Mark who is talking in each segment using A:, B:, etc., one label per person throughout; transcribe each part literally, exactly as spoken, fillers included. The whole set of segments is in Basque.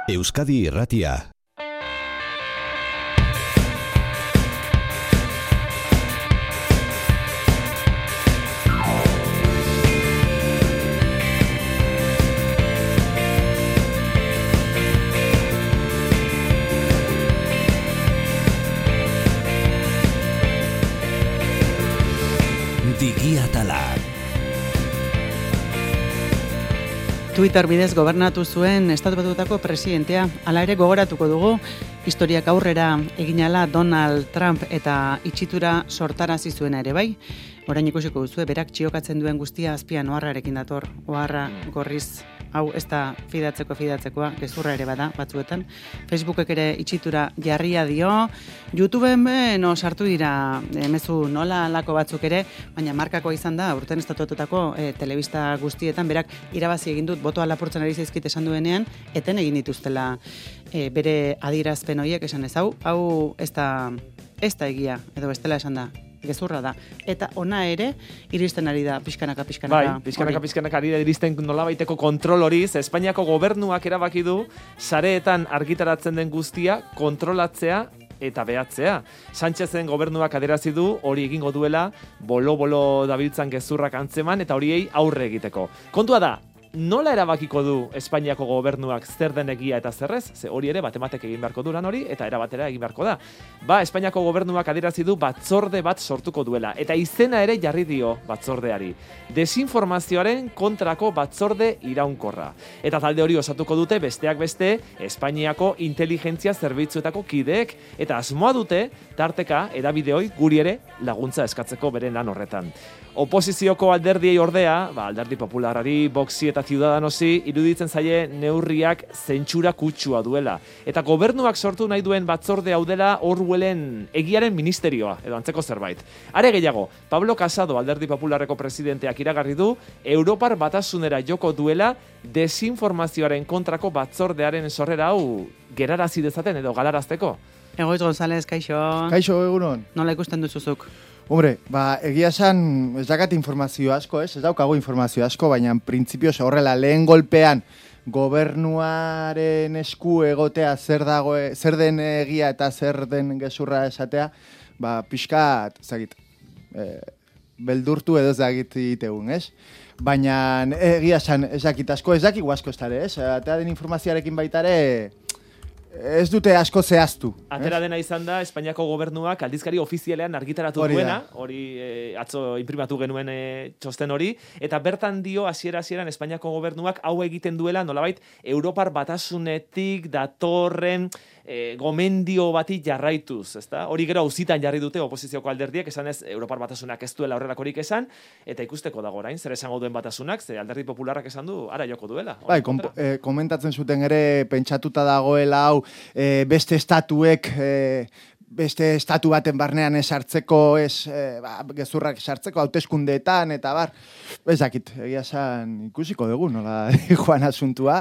A: Euskadi Irratia. Digiatala.
B: Twitter bidez gobernatu zuen Estatu Batuetako presidentea. Hala ere gogoratuko dugu, historiak aurrera eginala Donald Trump eta itxitura sortarazi zuena ere bai. Orain ikusiko duzue, berak txiokatzen duen guztia azpian oharrarekin dator. Oharra gorriz, hau ez da fidatzeko fidatzekoa, gezurra ere bada batzuetan. Facebookek ere itxitura jarria dio. YouTubeen no sartu dira e, mezu nola lako batzuk ere, baina markakoa izan da, urten estatutako e, telebista guztietan, berak irabazi egin dut, botoa lapurtzen ari zaizkit esan duenean, eten egin dituztela e, bere adierazpen horiek esan ez hau, hau ez da, ez da egia, edo bestela esan da. Gezurra da. Eta ona ere, iristen ari da pixkanaka, pixkanaka.
C: Bai, pixkanaka, pixkanaka ari da iristen nolabaiteko kontrol hori. Espainiako gobernuak erabaki du, sareetan argitaratzen den guztia kontrolatzea eta behatzea. Sánchezen gobernuak aderazi du hori egingo duela, bolo-bolo dabiltzan gezurrak antzeman eta horiei aurre egiteko. Kontua da, nola erabakiko du Espainiako gobernuak zer den egia eta zerrez? Ze hori ere batematek egin beharko du lan hori eta erabatera egin beharko da. Ba, Espainiako gobernuak adierazi du batzorde bat sortuko duela eta izena ere jarri dio batzordeari. Desinformazioaren kontrako batzorde iraunkorra. Eta talde hori osatuko dute besteak beste Espainiako inteligentzia zerbitzuetako kideek eta asmoa dute tarteka edabideoi guri ere laguntza eskatzeko beren lan horretan. Oposizioko alderdiei ordea, ba, alderdi popularari, Voxi eta Ciudadanosi iruditzen zaie neurriak zentsura kutsua duela. Eta gobernuak sortu nahi duen batzorde hau dela Orwellen egiaren ministerioa, edo antzeko zerbait. Are gehiago, Pablo Casado, alderdi popularreko presidenteak iragarri du, Europar batasunera joko duela desinformazioaren kontrako batzordearen sorrera hau gerarazi dezaten edo galarazteko.
B: Egoitz González, kaixo.
D: Kaixo, egunon.
B: Nola ikusten duzuzuk?
D: Hombre, ba, egia esan ez dakat informazio asko, ez? Ez daukago informazio asko, baina printzipioz horrela lehen golpean gobernuaren esku egotea zer dago, zer den egia eta zer den gezurra esatea, ba, pixkat, ezagit, e, beldurtu edo ezagit itegun, ez? Baina egia esan ez dakit asko, ez dakigu asko ez dara, ez? Eta den informazioarekin baitare ez dute asko zehaztu.
C: Atera dena izan da, Espainiako gobernuak aldizkari ofizialean argitaratu hori duena, hori e, atzo imprimatu genuen e, txosten hori, eta bertan dio hasiera-hasieran Espainiako gobernuak hau egiten duela nolabait Europar batasunetik datorren e, gomendio bati jarraituz, ezta? Hori gero auzitan jarri dute oposizioko alderdiek, esan ez Europar batasunak ez duela horrelakorik esan, eta ikusteko dago orain, zer esango duen batasunak, ze alderdi popularrak esan du, ara joko duela.
D: Bai, kom, e, komentatzen zuten ere pentsatuta dagoela hau, E, beste estatuek e, beste estatu baten barnean esartzeko, ez, e, ba, gezurrak esartzeko hauteskundeetan eta bar, ez dakit, egia esan ikusiko dugu, nola joan asuntua,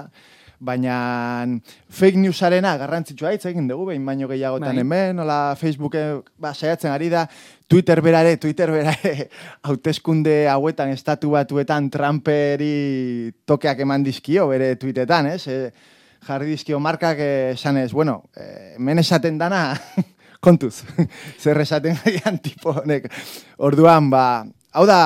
D: baina fake newsarena garrantzitsua hitz egin dugu, behin baino gehiagotan bai. Hemen, nola Facebooken ba, saiatzen ari da, Twitter berare, Twitter berare, hauteskunde hauetan, estatu batuetan Trumperi tokeak eman dizkio bere tweetetan, ez, e, jarri dizkio markak esan ez, bueno, eh, hemen esaten dana, kontuz, zer esaten gaian tipo honek. Orduan, ba, hau da,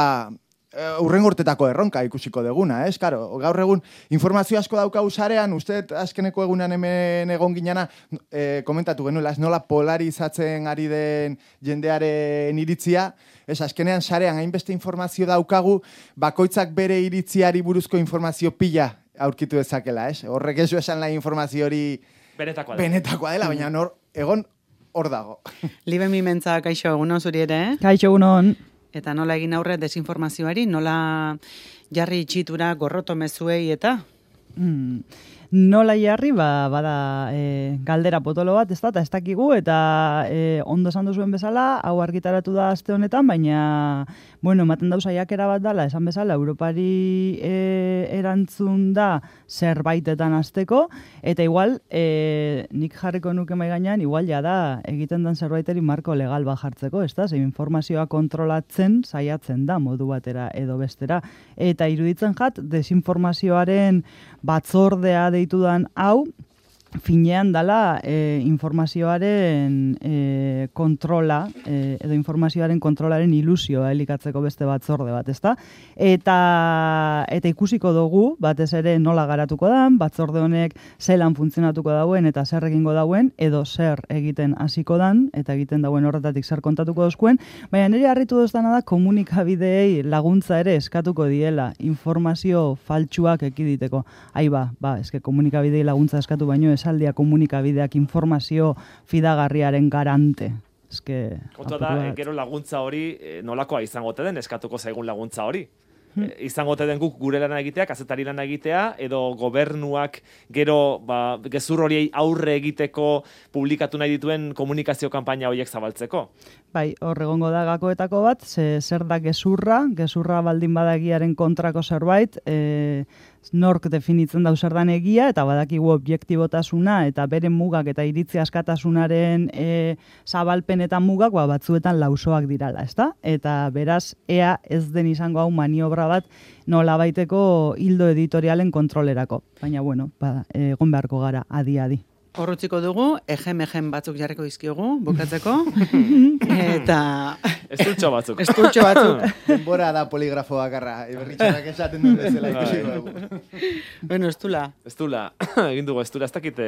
D: urrengo urtetako erronka ikusiko deguna, ez? Karo, gaur egun informazio asko daukagu sarean, uste azkeneko egunean hemen egon ginana, eh, komentatu genuela, ez nola polarizatzen ari den jendearen iritzia, ez azkenean sarean hainbeste informazio daukagu, bakoitzak bere iritziari buruzko informazio pila aurkitu dezakela, ez? Horrek ez du esan la informazio hori
C: benetakoa dela,
D: benetakoa dela baina nor, egon hor dago.
B: Libe Mimentza, kaixo, egunon zuri ere, eh?
E: Kaixo, egunon.
B: Eta nola egin aurre desinformazioari, nola jarri itxitura gorroto mezuei eta?
E: Hmm. Nola jarri, ba, bada e, galdera potolo bat, ez da, eta ez dakigu, eta e, ondo esan duzuen bezala, hau argitaratu da aste honetan, baina, bueno, ematen dau saiakera bat dala, esan bezala, Europari e, erantzun da zerbaitetan hasteko, eta igual, e, nik jarriko nuke mai gainean, igual ja da, egiten den zerbaiteri marko legal bat jartzeko, ez da, ze informazioa kontrolatzen, saiatzen da, modu batera edo bestera, eta iruditzen jat, desinformazioaren batzordea ditudan hau, finean dala e, informazioaren e, kontrola, e, edo informazioaren kontrolaren ilusioa elikatzeko beste batzorde bat, ezta? Eta, eta ikusiko dugu, batez ere nola garatuko dan, batzorde honek zelan funtzionatuko dauen, eta zer egingo dauen, edo zer egiten hasiko dan, eta egiten dauen horretatik zer kontatuko dozkuen, baina nire harritu doztana da komunikabideei laguntza ere eskatuko diela, informazio faltsuak ekiditeko. Ai ba, ba, eske komunikabidei laguntza eskatu baino esaldia komunikabideak informazio fidagarriaren garante. Eske,
C: Kontua da, e, gero laguntza hori e, nolakoa izango te den, eskatuko zaigun laguntza hori. Hmm. E, izango te den guk gure lana egitea, kazetari lana egitea, edo gobernuak gero ba, gezur horiei aurre egiteko publikatu nahi dituen komunikazio kanpaina horiek zabaltzeko.
E: Bai, hor egongo da gakoetako bat, ze, zer da gezurra, gezurra baldin badagiaren kontrako zerbait, e, nork definitzen dau zer dan egia, eta badakigu objektibotasuna, eta bere mugak eta iritzi askatasunaren e, zabalpen eta mugak ba, batzuetan lausoak dirala, ezta? Eta beraz, ea ez den izango hau maniobra bat nola baiteko hildo editorialen kontrolerako. Baina, bueno, ba, egon beharko gara adi-adi.
B: Horrutziko dugu, egen-egen batzuk jarriko izkiogu, bukatzeko, eta...
C: Estultxo batzuk.
B: Estultxo batzuk.
D: Denbora da poligrafo bakarra, berritxarrak esaten duen bezala ikusiko dugu.
B: Bueno, estula.
C: Estula, egin dugu estula, ez dakit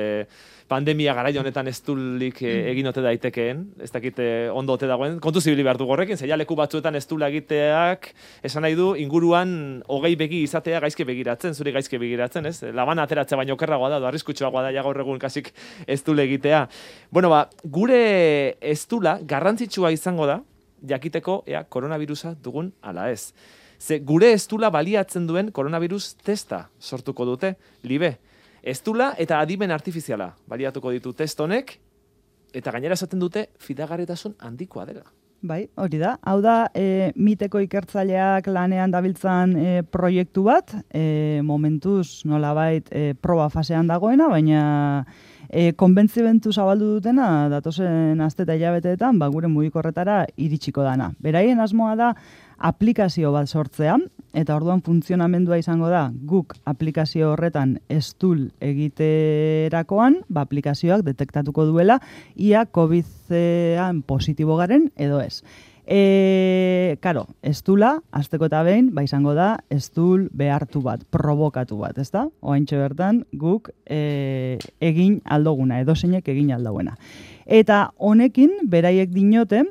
C: pandemia garaio honetan estulik egin ote daitekeen, ez dakit ondo ote dagoen, kontu zibili behar dugu horrekin, zeia leku batzuetan estula egiteak, esan nahi du, inguruan hogei begi izatea gaizke begiratzen, zuri gaizke begiratzen, ez? Labana ateratzea baino okerragoa da, arriskutsuagoa da, ja gaur egun kasik estule egitea. Bueno, ba, gure estula garrantzitsua izango da, jakiteko ea koronavirusa dugun ala ez. Ze gure estula baliatzen duen koronavirus testa sortuko dute, libe. Estula eta adimen artifiziala baliatuko ditu test honek, eta gainera esaten dute fidagarritasun handikoa dela.
E: Bai, hori da. Hau da, e, miteko ikertzaileak lanean dabiltzan e, proiektu bat, e, momentuz nolabait e, proba fasean dagoena, baina e, konbentzimentu zabaldu dutena, datozen aste eta hilabeteetan, ba, gure mugikorretara iritsiko dana. Beraien asmoa da, aplikazio bat sortzea, eta orduan funtzionamendua izango da, guk aplikazio horretan estul egiterakoan, ba, aplikazioak detektatuko duela, ia COVID-ean positibo garen edo ez. E, karo, estula, azteko eta behin, ba izango da, estul behartu bat, provokatu bat, ezta? Oaintxe bertan, guk e, egin aldoguna, edo zeinek egin aldoguena. Eta honekin, beraiek dinote,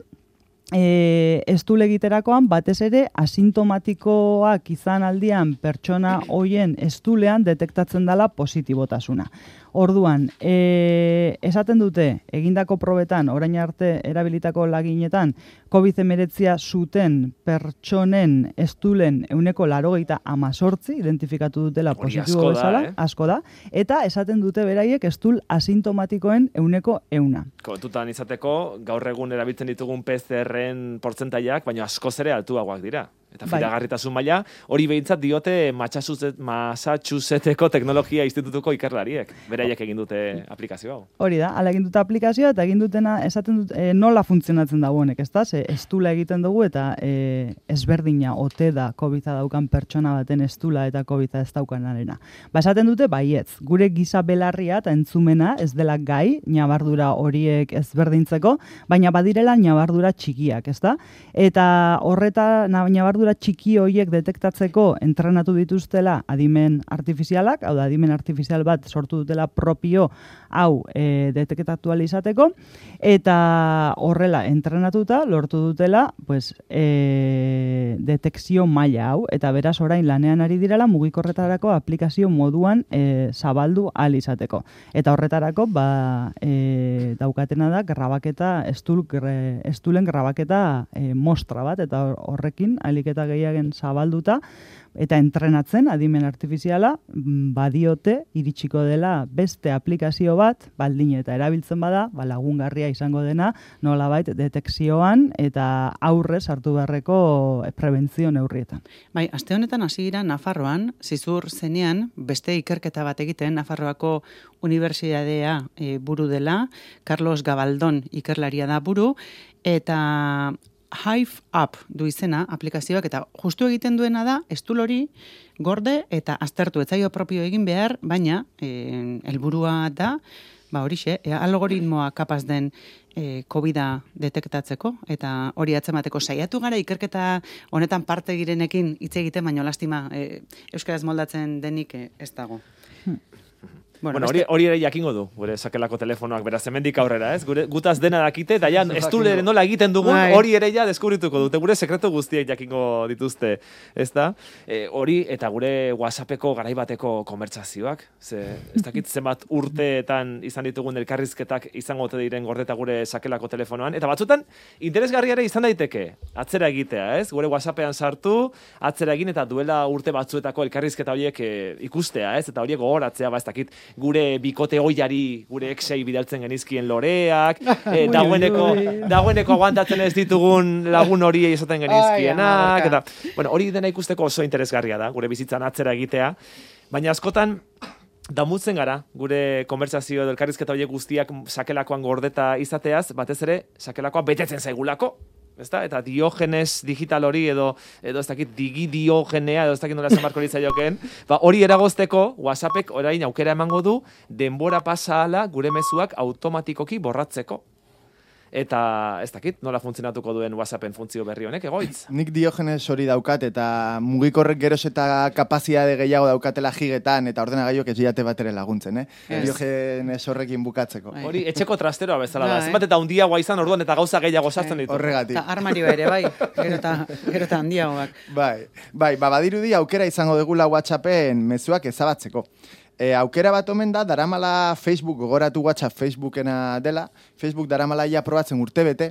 E: E, estul egiterakoan batez ere asintomatikoak izan aldian pertsona hoien estulean detektatzen dela positibotasuna. Orduan, e, esaten dute, egindako probetan, orain arte erabilitako laginetan, COVID hemeretzia zuten pertsonen estulen euneko laurogeita hamazortzi identifikatu dutela positibo bezala,
C: eh?
E: asko da, eta esaten dute beraiek estul asintomatikoen euneko euna.
C: Kontutan izateko, gaur egun erabiltzen ditugun P C R-en portzentaiak, baina askoz ere altuagoak dira. Eta fidagarritasun maila, hori behintzat diote Massachusettseko teknologia institutuko ikerlariek. Beraiek egin dute aplikazio hau.
E: Hori da, ala egin dute aplikazioa eta egin dutena esaten dut e, nola funtzionatzen da honek, ezta? Ze estula egiten dugu eta e, ezberdina ote da COVID-a daukan pertsona baten estula eta COVID-a ez daukanarena. Ba, esaten dute baietz, gure giza belarria eta entzumena ez dela gai, ñabardura horiek ezberdintzeko, baina badirela ñabardura txikiak, ezta? Eta horreta ñabardura txiki horiek detektatzeko entrenatu dituztela adimen artifizialak, hau da, adimen artifizial bat sortu dutela propio hau e, detektatu izateko, eta horrela entrenatuta lortu dutela pues, e, detekzio maila hau, eta beraz orain lanean ari direla mugikorretarako aplikazio moduan e, zabaldu ahal izateko. Eta horretarako ba, e, daukatena da grabaketa, estul, gre, estulen grabaketa e, mostra bat, eta horrekin aliketa gehiagen zabalduta, eta entrenatzen adimen artifiziala badiote iritsiko dela beste aplikazio bat, baldin eta erabiltzen bada, ba, lagungarria izango dena, nolabait detekzioan eta aurrez hartu beharreko prebentzio neurrietan.
B: Bai, aste honetan hasi gira Nafarroan, zizur zenean, beste ikerketa bat egiten, Nafarroako Unibertsitatea e, buru dela, Carlos Gabaldon ikerlaria da buru, eta Hive App du izena aplikazioak eta justu egiten duena da estul hori gorde eta aztertu etzaio propio egin behar, baina eh, helburua da ba horixe, e, algoritmoa kapaz den e, COVID-a detektatzeko eta hori atzemateko saiatu gara ikerketa honetan parte girenekin hitz egiten, baino lastima e, euskaraz moldatzen denik e, ez dago. Hmm.
C: Bueno, bueno hori, hori ere jakingo du, gure sakelako telefonoak, beraz, hemendik aurrera, ez? Gure, gutaz dena dakite, eta ja, estulere nola egiten dugun, hori ere ja deskubrituko dute, gure sekretu guztiek jakingo dituzte, ez da? E, hori, eta gure WhatsAppeko garaibateko konbertsazioak, ze, ez dakit zenbat urteetan izan ditugun elkarrizketak izango ote diren gordeta gure sakelako telefonoan, eta batzutan, interesgarriare izan daiteke, atzera egitea, ez? Gure WhatsAppean sartu, atzera egin, eta duela urte batzuetako elkarrizketa horiek e, ikustea, ez? Eta horiek gogoratzea, ba, ez dakit, gure bikote oiari, gure exei bidaltzen genizkien loreak, e, dagoeneko, dagoeneko aguantatzen ez ditugun lagun horiei esaten genizkienak, eta, bueno, hori dena ikusteko oso interesgarria da, gure bizitzan atzera egitea, baina askotan, damutzen gara, gure konbertsazio edo elkarrizketa horiek guztiak sakelakoan gordeta izateaz, batez ere, sakelakoa betetzen zaigulako, ezta? Eta Diogenes digital hori edo edo ez dakit digi diogenea edo ez dakit nola esan barko litzaiokeen, ba hori eragozteko WhatsAppek orain aukera emango du denbora pasa ahala gure mezuak automatikoki borratzeko. Eta ez dakit nola funtzionatuko duen WhatsAppen funtzio berri honek egoitz.
D: Nik Diogenes hori daukat eta mugikorrek geroz eta kapazitate gehiago daukatela gigetan eta ordenagailuak ez diate batere laguntzen, eh? Yes. Diogenes horrekin bukatzeko.
C: Ai. Hori etxeko trasteroa bezala da. Zenbat eta handiagoa izan orduan eta gauza gehiago sartzen ditu.
D: Horregatik.
B: Eta armarioa ere bai, gero eta gero eta handiagoak.
D: Bai, bai, ba badirudi aukera izango degula WhatsAppen mezuak ezabatzeko. E, aukera bat omen da, daramala Facebook, gogoratu WhatsApp Facebookena dela, Facebook daramala ia probatzen urtebete,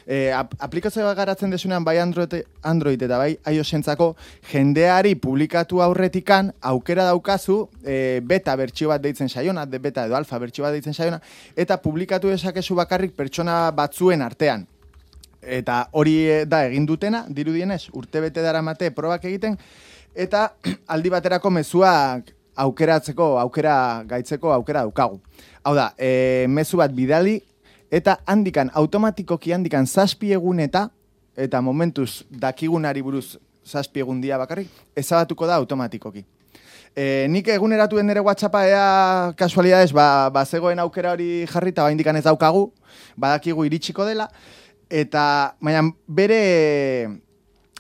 D: e, ap aplikazioa garatzen desunean bai Android, Android eta bai iOS-entzako jendeari publikatu aurretikan aukera daukazu e, beta bertsio bat deitzen saiona, de beta edo alfa bertsio bat deitzen saiona, eta publikatu dezakezu bakarrik pertsona batzuen artean. Eta hori da egin dutena, dirudienez, urtebete daramate probak egiten, eta aldi baterako mezuak aukeratzeko, aukera gaitzeko, aukera daukagu. Hau da, e, mezu bat bidali, eta handikan, automatikoki handikan zazpi egun eta, eta momentuz dakigunari buruz zazpi egun dia bakarrik, ezabatuko da automatikoki. E, nik eguneratu den ere WhatsAppa ea kasualidades, ba, ba zegoen aukera hori jarri, eta ba indikan ez daukagu, badakigu iritsiko dela, eta, baina bere,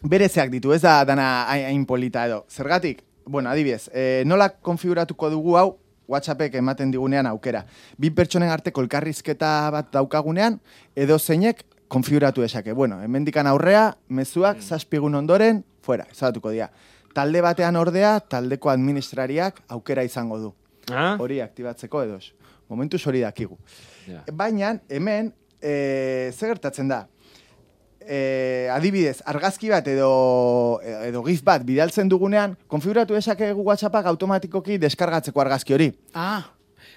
D: bere zeak ditu, ez da dana hain polita edo. Zergatik? Bueno, adibidez, eh, nola konfiguratuko dugu hau WhatsAppek ematen digunean aukera. Bi pertsonen arteko elkarrizketa bat daukagunean, edo zeinek konfiguratu esake. Bueno, hemendikan aurrea, mezuak, mm. zazpigun ondoren, fuera, ezabatuko dira. Talde batean ordea, taldeko administrariak aukera izango du. Ah? Hori aktibatzeko edoz. Momentuz hori dakigu. Yeah. Baina, hemen, eh, zer gertatzen da? Eh, adibidez, argazki bat edo, edo gif bat bidaltzen dugunean, konfiguratu esakegu WhatsAppak automatikoki deskargatzeko argazki hori.
B: Ah,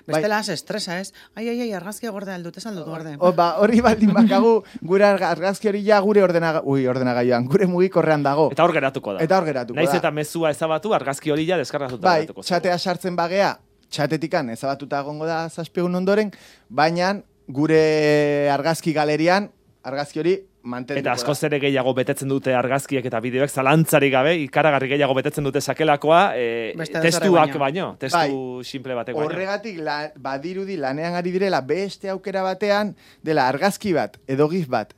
B: bestela bai. Estresa ez. Ai, ai, ai, argazkia gorde aldut, ez aldut gorde.
D: O, ba, hori baldin bakagu, gure argazki hori ja gure ordenaga, ui, ordenagailuan, gure mugikorrean dago.
C: Eta hor geratuko da.
D: Eta hor geratuko
C: Naiz
D: da.
C: eta mezua ezabatu, argazki hori ja deskargatuta
D: bai,
C: geratuko. Bai,
D: txatea sartzen bagea, txatetikan ezabatuta egongo da zazpigun ondoren, baina gure argazki galerian, argazki hori mantenduko
C: eta askoz ere gehiago betetzen dute argazkiek eta bideoek zalantzari gabe, ikaragarri gehiago betetzen dute sakelakoa, e, testuak baino, testu bai, simple batek baino.
D: Horregatik la, badirudi lanean ari direla beste aukera batean, dela argazki bat edo gif bat,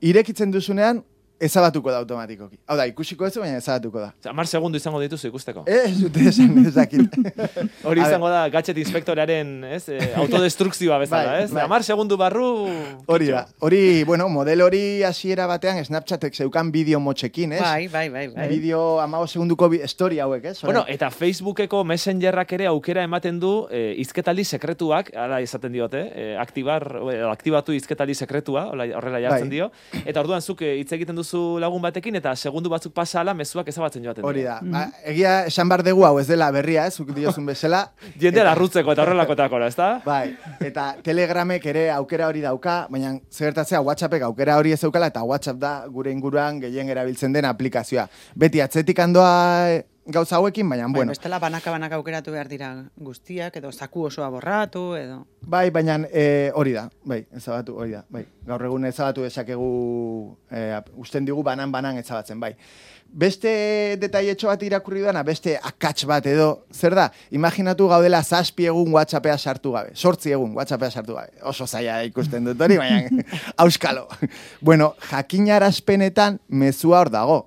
D: irekitzen duzunean, ezabatuko da automatikoki. Hau da, ikusiko ez, baina ezabatuko da.
C: Hamar segundu izango dituzu ikusteko.
D: Ez, dute esan, ezakit.
C: Hori izango da, gadget inspektorearen eh, autodestrukzioa bezala, bai, ez? Bai. Hamar segundu barru...
D: Hori da. Hori, bueno, model hori hasiera batean, Snapchatek zeukan bideo motxekin, ez?
B: Bai, bai, bai. bai.
D: Bideo amago segunduko story hauek, ez?
C: Bueno, eta Facebookeko Messengerrak ere aukera ematen du eh, izketaldi sekretuak, ara izaten diote, eh, aktibar, eh, aktibatu izketaldi sekretua, horrela jartzen bai. Dio, eta orduan zuk hitz egiten du lagun batekin eta segundu batzuk pasa ala mezuak ezabatzen joaten.
D: Hori da. Mm -hmm. ba, egia esan bar dugu hau ez dela berria, ez, zuk diozun bezala.
C: Jende larrutzeko eta horrelakotakora, ez da?
D: Bai, eta Telegramek ere aukera hori dauka, baina zertatzea WhatsAppek aukera hori ez daukala eta WhatsApp da gure inguruan gehien erabiltzen den aplikazioa. Beti atzetik handoa gauza hauekin, baina,
B: Bai,
D: bueno.
B: bestela banaka-banaka aukeratu behar dira guztiak, edo zaku osoa borratu, edo...
D: Bai, baina e, hori da, bai, ezabatu, hori da, bai. Gaur egun ezabatu dezakegu, e, usten digu banan-banan ezabatzen, bai. Beste detaietxo bat irakurri duana, beste akats bat edo, zer da? Imaginatu gaudela zazpi egun WhatsAppea sartu gabe, sortzi egun WhatsAppea sartu gabe. Oso zaila ikusten dut hori, baina auskalo. Bueno, jakinarazpenetan mezua hor dago.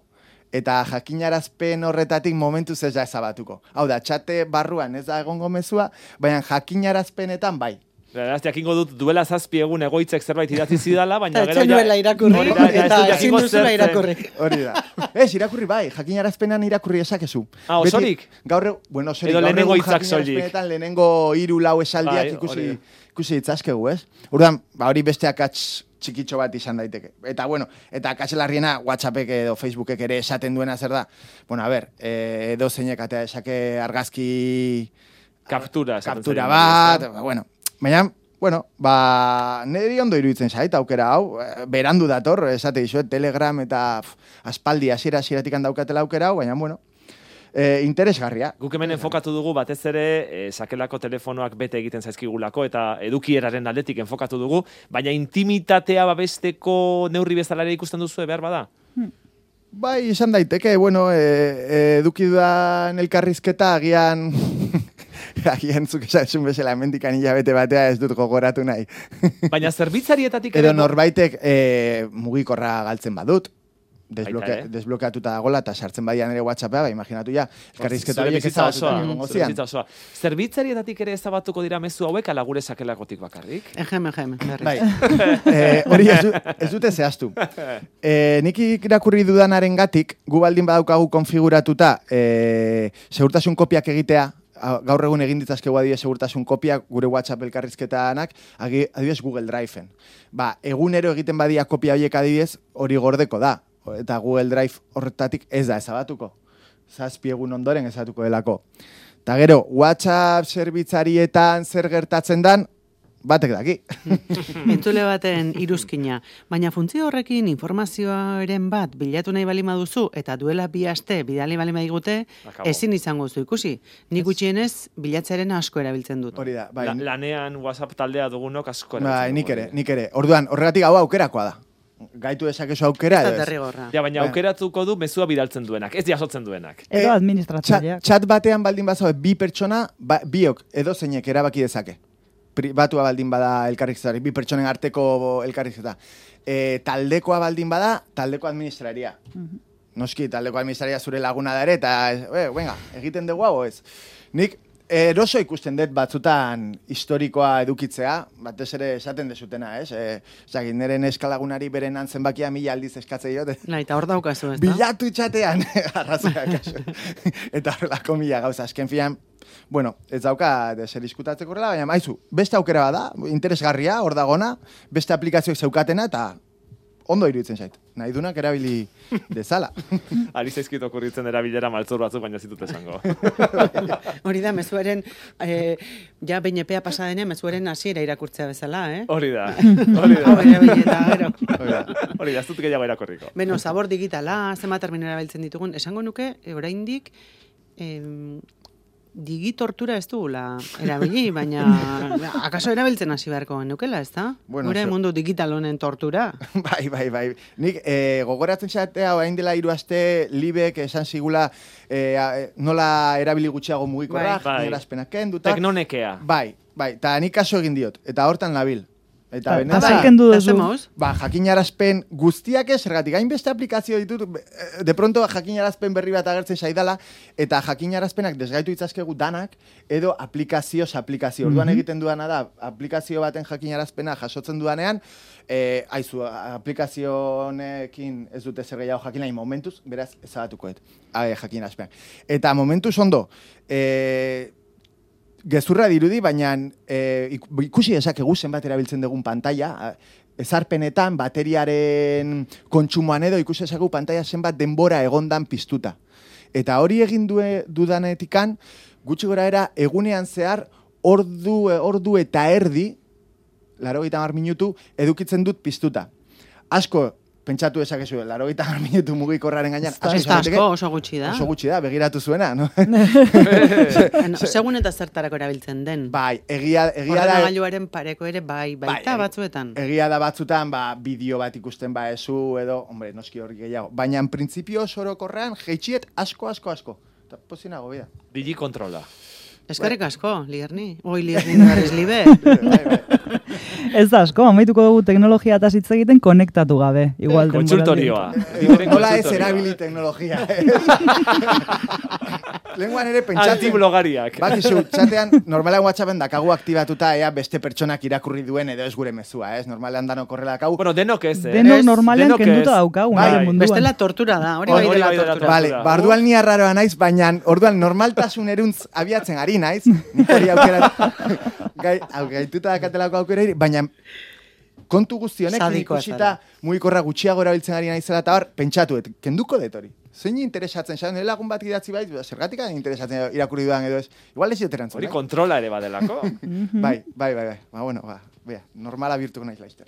D: Eta jakinarazpen horretatik momentuz ez da ezabatuko. Hau da, txate barruan ez da egongo mezua, baina jakinarazpenetan bai.
C: Beraz, jakingo dut duela zazpi egun egoitzek zerbait idatzi zidala, baina
B: gero ja... Eta irakurri, eta ezin duzula irakurri.
D: Hori da. Ez, irakurri bai, jakinarazpenan irakurri esakezu.
C: Ah, osorik?
D: Gaur, bueno, osorik.
C: Edo lehenengo hitzak soilik.
D: Lehenengo hiru lau esaldiak ikusi, ikusi ditzazkegu, ez? Urdan, ba, hori beste akats txikitxo bat izan daiteke. Eta, bueno, eta akatzelarriena WhatsAppek edo Facebookek ere esaten duena zer da. Bueno, a ber, edo zeinek atea esake argazki...
C: Kaptura.
D: Kaptura bat, ba, bueno... Baina, bueno, ba, niri ondo iruditzen zait, aukera hau, berandu dator, esate dizuet, Telegram eta pf, aspaldi hasiera hasieratik daukatela aukera hau, baina, bueno, e, interesgarria.
C: Guk hemen enfokatu dugu batez ere, e, sakelako telefonoak bete egiten zaizkigulako eta edukieraren aldetik enfokatu dugu, baina intimitatea babesteko neurri bezala ere ikusten duzu behar bada?
D: Hmm. Bai, izan daiteke, bueno, e, e, eduki dudan elkarrizketa agian... Agian zuk esan bezala mendikan hilabete batea ez dut gogoratu nahi.
C: Baina zerbitzarietatik...
D: Edo norbaitek e, mugikorra galtzen badut. Desbloke, eh? Desblokeatuta dagoela eta sartzen badian ere WhatsAppea, ba, imaginatu ja. Elkarrizketa horiek ezabatuta
C: osoa. Zerbitzarietatik ere ezabatuko dira mezu hauek ala gure sakelakotik bakarrik?
B: Ejem, ejem.
D: Bai. e, hori ez, ez dute zehaztu. E, nik irakurri dudanaren gatik, gu baldin badaukagu konfiguratuta e, segurtasun kopiak egitea, gaur egun egin ditzazkegu adibidez segurtasun kopiak gure WhatsApp elkarrizketanak adibidez Google Driveen. Ba, egunero egiten badia kopia horiek adibidez hori gordeko da. Eta Google Drive horretatik ez da ezabatuko. Zazpi egun ondoren ezabatuko delako. Eta gero, WhatsApp zerbitzarietan zer gertatzen dan, batek daki.
B: Entzule baten iruzkina. Baina funtzio horrekin informazioaren bat bilatu nahi balima duzu eta duela bi aste bidali balima digute, ezin izango zu ikusi. Nik gutxienez bilatzearen asko erabiltzen dut.
D: Hori da, bai.
C: La, lanean WhatsApp taldea dugunok asko erabiltzen.
D: Bai, nik ere, nik ere. Orduan, horregatik hau aukerakoa da. Gaitu dezakezu aukera edo ez.
C: Ja, baina aukeratuko du mezua bidaltzen duenak, ez jasotzen duenak.
E: Edo administratzaileak.
D: Chat batean baldin bazo bi pertsona, ba, biok edo zeinek erabaki dezake. Pribatua baldin bada elkarrizketari, bi pertsonen arteko elkarrizketa. E, taldekoa baldin bada, taldeko administraria. Uh-huh. Noski, taldeko administraria zure laguna da ere, eta, e, venga, egiten dugu hau ez. Nik eroso ikusten dut batzutan historikoa edukitzea, batez ere esaten dezutena, ez? E, Zagin, nire neskalagunari beren antzenbakia mila aldiz eskatzei dut.
B: Na, eta hor daukazu, ez da?
D: Bilatu txatean, arrazoa kasu. Eta horrelako mila gauza, azken fian, bueno, ez dauka zer diskutatzeko horrela, baina maizu, beste aukera bada, interesgarria, hor dagona, beste aplikazioek zeukatena, eta ondo iruditzen zait. Nahi dunak erabili dezala.
C: Ari zaizkit okurritzen erabilera maltzur batzuk, baina zitut esango.
B: Hori da, mezuaren, eh, ja behin epea pasadenean, mezuaren hasiera irakurtzea bezala, eh?
C: Hori da, hori da.
B: Hori da, gero.
C: Hori da, ez dut gehiago irakorriko.
B: Beno, zabor digitala, zema termino erabiltzen ditugun, esango nuke, oraindik, eh, digitortura ez dugula erabili, baina akaso erabiltzen hasi beharko nukela, ez da? Bueno, gure so... mundu digital honen tortura.
D: Bai, bai, bai. Nik e, gogoratzen zatea, orain dela hiru aste Libek esan zigula e, nola erabili gutxiago mugikorrak,
C: bai,
D: bai. Kenduta.
C: Teknonekea.
D: Bai, bai, eta nik kaso egin diot, eta hortan nabil. Eta
E: benetan,
D: ba, jakinarazpen guztiak ez, zergatik hainbeste aplikazio ditut, de pronto jakinarazpen berri bat agertzen zaidala, eta jakinarazpenak desgaitu itzazkegu danak, edo aplikazioz aplikazio. Orduan egiten duana da, aplikazio baten jakinarazpena jasotzen duanean, eh, aizu, aplikazio honekin ez dute zer gehiago jakin nahi momentuz, beraz, ezabatukoet, jakinarazpenak. Eta momentuz ondo, eh, gezurra dirudi, baina e, ikusi dezakegu zenbat erabiltzen dugun pantalla, ezarpenetan, bateriaren kontsumoan edo, ikusi dezakegu pantalla zenbat denbora egondan piztuta. Eta hori egin due, dudanetikan, gutxi gora era, egunean zehar, ordu, ordu eta erdi, laro gita mar minutu, edukitzen dut piztuta. Asko, pentsatu esakezu, laurogeita hamar minutu mugikorraren gainean.
B: Ez da asko, oso gutxi da.
D: Oso gutxi da, begiratu zuena, no?
B: Segun eta zertarako erabiltzen den.
D: Bai, egia, egia da...
B: Ordenagailuaren pareko ere bai, baita
D: bai,
B: batzuetan.
D: Egia da batzutan, ba, bideo bat ikusten ba ezu edo, hombre, noski hori gehiago. Baina, en principio, sorokorrean, jeitxiet asko, asko, asko. Eta pozinago, bida.
C: Digi kontrola.
B: Eskerrik asko, Lierni. Oi, Lierni naren libe.
E: Ez da asko, amaituko dugu teknologia eta hitz egiten konektatu gabe. Igual
C: Kontsultorioa.
D: Nola ez erabili teknologia. Lenguan ere pentsatu.
C: Antiblogariak.
D: Bakizu, txatean, normalean WhatsAppen dakagu aktibatuta ea beste pertsonak irakurri duen edo ez gure mezua, ez? Normalean danok korrela dakagu.
C: Bueno, denok ez, eh?
E: Denok normalean kenduta daukagu, nahi munduan.
B: Bestela tortura da, hori bai dela tortura.
D: Vale, barduan ni arraroa naiz, baina orduan normaltasun eruntz abiatzen ari naiz, nik hori aukera, gai, gaituta dakatelako aukera iri, baina kontu guztionek ikusita mugikorra gutxiago erabiltzen ari naizela eta hor, pentsatu, et, kenduko det hori. Zein interesatzen, xan, nire lagun bat idatzi bai, zergatik interesatzen irakurri dudan edo ez. Igual ez joterantzun.
C: Hori kontrola ere badelako.
D: Bai, bai, bai, bai. Ba, bueno, ba, bea, normala birtuko naiz laizter.